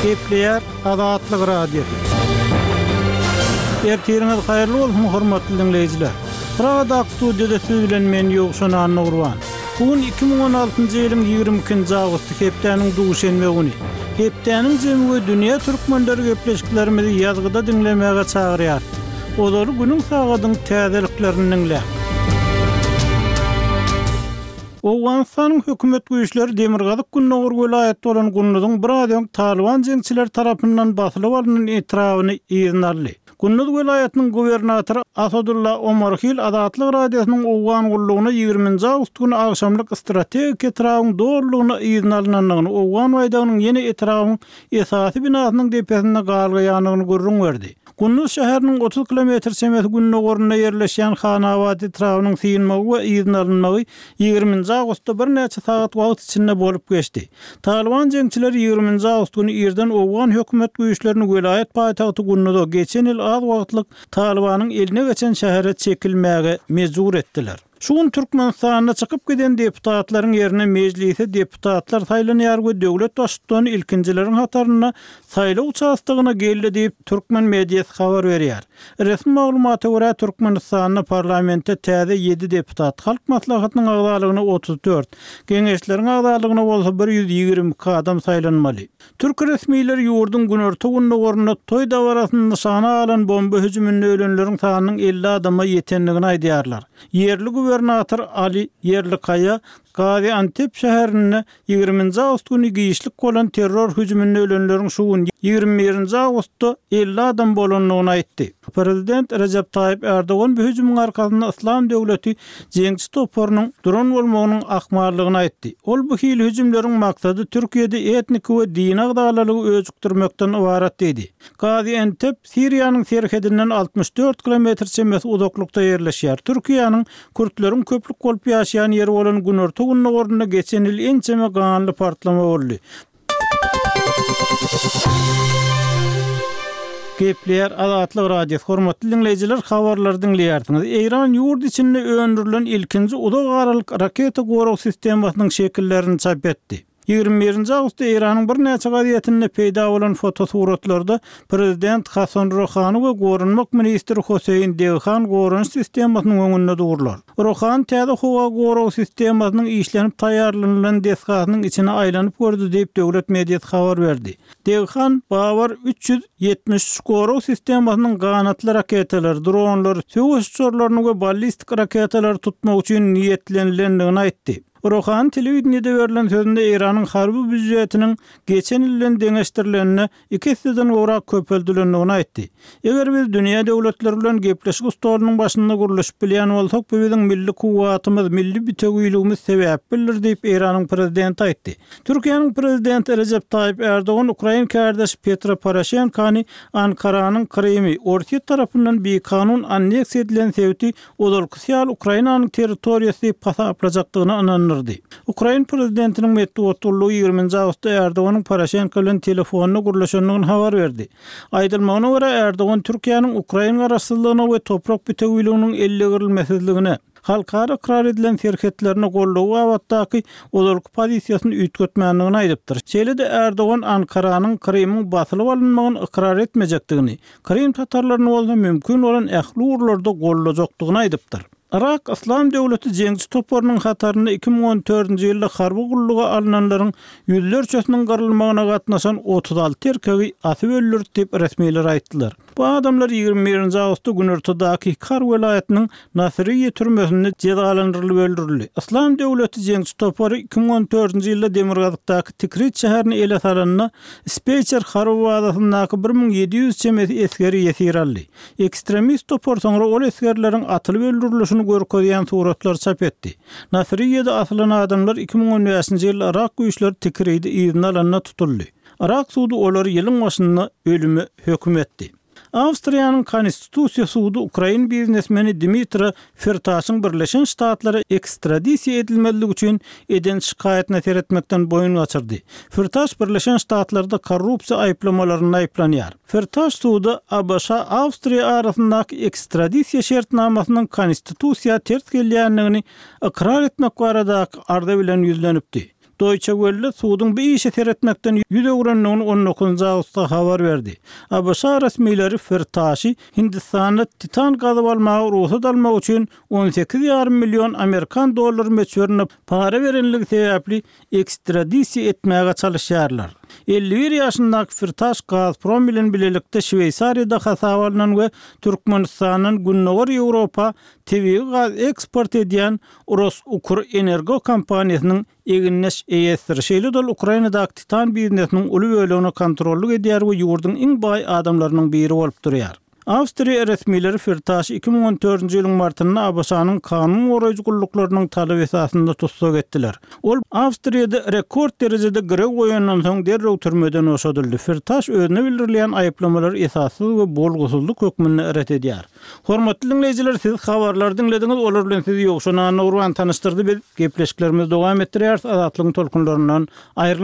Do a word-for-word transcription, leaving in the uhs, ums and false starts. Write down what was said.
Gepleýär Azatlyk Radiosy. Ertiriňiz haýyrly bolsun, hormatly diňleýjiler. Pragadaky studiýada siz bilen men Ýowşan Annagurban. Bu gün iki müň on altynjy ýylyň ýigrimi ikinji awgusty, hepdäniň duşenbe güni. Hepdäniň jemi we dünýä türkmenleri gepleşiklerimizi ýazgyda diňlemäge çagyrýar. Ozaly günüň sagadyň täzeliklerini diňle. Owganystanyň hökümet güýçleri Demirgazyk Gündogar welaýat bolan Gunduzyň biraz öň Talyban jeňçileri tarapyndan basylyp alynan etrabyny yzyna aldy. Gunduz welaýatynyň gubernatory Asadulla Omarhil Azatlyk Radiosynyň Owgan gullugyna ýigriminji awgust güni agşamlyk strategik etrabyň dolulygyna yzyna alynandygyny, Owgan baýdagynyň ýene etrabyň esasy binasynyň depesinde galgaýandygyny gürrüň berdi. Gunduz şäheriniň otuz kilometr çemesi gündogarynda ýerleşýän Hanabad etrabynyň synmagy we yzyna alynmagy ýigriminji awgustda birnäçe sagat wagt içinde bolup geçdi. Talyban jeňçileri ýigriminji awgust güni irden Owgan hökümet güýçlerini welaýat paýtagty Gunduza geçen ýyl az wagtlyk Talybanyň eline geçen şähere çekilmäge mejbur etdiler. Şu gün Türkmenistanda çykyp giden deputatlaryň ýerine mejlise deputatlar saýlanýar we döwlet baştutany ilkinjileriň hatarynda saýlaw uçastogyna geldi diýip türkmen mediasy habar berýär. Resmi maglumata görä Türkmenistanda parlamentde täze ýedi deputat, Halk Maslahatynyň agzalygyna otuz dört, geňeşleriň agzalygyna bolsa bir ýüz ýigrimi iki adam saýlanmaly. Türk resmileri ýurduň günorta gündogarynda toý dabarasyny nyşana alan bomba hüjüminde ölenleriň sanynyň elli adama ýetendigini aýdýarlar. Ýerli gubernator Ali Ýerlikaýa Gaziantep şäherinde ýigriminji awgust güni giçlik bolan terror hüjüminde ölenleriň şu gün ýigrimi birinji awgustda elli adam bolandygyny aýtdy. Prezident Recep Tayyip Erdogan bu hüjümiň arkasynda Islam döwleti jeňçi toparynyň duran bolmagynyň ahmallygyny aýtdy. Ol bu hili hüjümleriň maksady Türkiýede etnik we dini agzalalygy öjükdirmekden ybarat diýdi. Gaziantep Siriýanyň serhedinden altmyş dört kilometr çemesi uzaklykda ýerleşýär. Türkiýäniň Kürtleriň köplük bolup ýaşaýan ýeri bolan günorta gündogarynda geçen ýyl ençeme ganly partlama boldy. Gepleýär Azatlyk Radiosy. Hormatly diňleýjiler, habarlary diňleýärsiňiz. Eýran ýurt içinde öndürilen ilkinji uzak aralyk raketa gorag sistemasynyň şekillerini çap etdi. Ýigrimi birinji awgustda Eýranyň birnäçe gazetinde peýda bolan fotosuratlarda prezident Hasan Rohani we goranmak ministri Hüseýin Deghan goranyş sistemasynyň öňünde durlar. Rohani täze howa gorag sistemasynyň işlenip taýýarlanylan desgasynyň içine aýlanyp gördi diýip döwlet mediasy habar berdi. Deghan Babar üç ýüz ýetmiş üç gorag sistemasynyň ganatly raketalary, dronlary, söweş uçarlaryny we ballistik raketalary tutmak üçin niýetlenilendigini aýtdy. Rohani telewideniýede berlen sözünde Eýranyň harby býujetiniň geçen ýyl bilen deňeşdirileninde iki esseden gowrak köpeldilendigini aýtdy. Eger biz dünýä döwletleri bilen gepleşik stolunyň başynda gurluşyp bilýän bolsak, bu biziň milli kuwwatymyz, milli bitewüligimiz sebäp bildir diýip Eýranyň prezidenti aýtdy. Türkiýäniň prezidenti Recep Tayyip Erdogan Ukrain kardeşi Petro Poroşenkony Ankaranyň Krymy Orsýet tarapyndan bikanun anneksiýa edilen sebiti ozalkysy ýaly Ukrainanyň territoriýasy diýip hasaplajakdygyny ynandyrdy. Ukrain prezidentiniň metbugat gullugy ýigriminji awgustda Erdoganyň Poroşenko bilen telefonda gürleşendigini habar berdi. Aýdylmagyna görä Erdogan Türkiýäniň Ukrain garaşsyzlygyna we toprak bitewüliginiň ellegirilmesizligine, halkara ykrar edilen serhetlerine goldawy babatdaky ozalky pozisiýasyny üýtgetmändigini aýdypdyr. Şeýle-de Erdogan Ankaranyň Krymyň basylyp alynmagyny ykrar etmejekdigini, Krym tatarlaryny bolsa mümkin bolan ähli ugurlarda goldajakdygyny aýdypdyr. Irak Islam döwleti jeňçi toparynyň hatarynda iki müň on dördünji ýylda harby gulluga alynanlaryň ýüzlerçesiniň gyrylmagyna gatnaşan otuz alty erkegi asyp öldürdi diýip resmiler aýtdylar. Bu adamlar ýigrimi birinji awgustda günortadaky Kar welaýatynyň Nasiriýe türmesinde jezalandyrylyp öldürildi. Islam döwleti jeňçi topary iki müň on dördünji ýylda Demirgazykdaky Tikrit şäherini ele salanda Speýçer harby bazasyndaky bir müň ýedi ýüz çemesi esgeri ýesir aldy. Ekstremist topar soňra ol esgerleriň atylyp öldürilişini görkezýän suratlar çap etdi. Nasiriýede asylan adamlar iki müň on bäşinji ýylda Irak güýçleri Tikridi yzyna alanda tutuldy. Irak sudy olary ýylyň başynda ölüme höküm etdi. Awstriýanyň Konstitusiýa sudy Ukrain biznesmeni Dmitro Firtaşyň Birleşen Ştatlara ekstradisiýa edilmezligi üçin eden şikaýatyna seretmekden boýun gaçyrdy. Firtaş Birleşen Ştatlarda korrupsiýa aýyplamalarynda aýyplanýar. Firtaş suda A B Ş Awstriýa arasyndaky ekstradisiýa şertnamasynyň konstitusiýa ters gelýändigini ykrar etmek baradaky arza bilen ýüzlenipdi. Deutsche Welle suduň bu işe seretmekden ýüz öwrendigini on dokuzynjy awgustda habar berdi. ABŞ resmileri Firtaşy Hindistanda titan gazyp almaga rugsat almak üçin on sekiz ýarym million amerikan dollary möçberinde para berenligi sebäpli ekstradisiýa etmäge çalyşýarlar. Elli bir ýaşyndaky Firtaş Gazprom bilen bilelikde Şweýsariýada hasaba alnan we Türkmenistandan Gündogar Ýewropa tebigy gaz eksport edýän RosUkrEnergo kompaniýasynyň egindeş eýesidir. Şeýle-de ol Ukrainadaky titan biznesiniň uly bölegine kontrollyk edýär we ýurduň iň baý adamlarynyň biri bolup durýar. Awstriýa resmileri Firtaşy iki müň on dördünji ýylyň martynda ABŞ-nyň kanun goraýjy gulluklarynyň talaby esasynda tussag etdiler. Ol Awstriýada rekord derejede girew goýandan soň derrew türmeden boşadyldy. Firtaş özüne bildirilýän aýyplamalary esassyz we bolgusyzlyk hökmünde ret edýär. Hormatly diňleýjiler, siz habarlary diňlediňiz, olar bilen sizi Ýowşan Annagurban tanyşdyrdy. Biz gepleşiklerimizi dowam etdirýäris. Azatlygyň tolkunlaryndan aýrylmaň.